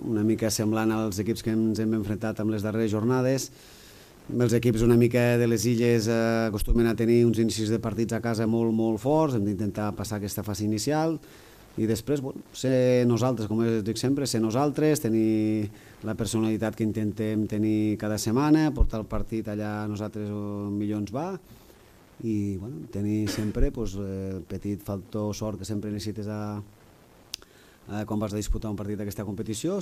una mica semblant als equips que ens hem enfrontat amb les darreres jornades. Els equips una mica de les illes acostumen a tenir uns inicis de partits a casa molt, molt forts, hem d'intentar passar aquesta fase inicial i després ser nosaltres, com dic sempre, ser nosaltres, tenir la personalitat que intentem tenir cada setmana, portar el partit allà nosaltres millor ens va i tenir sempre el petit factor sort que sempre necessites quan vas a disputar un partit d'aquesta competició.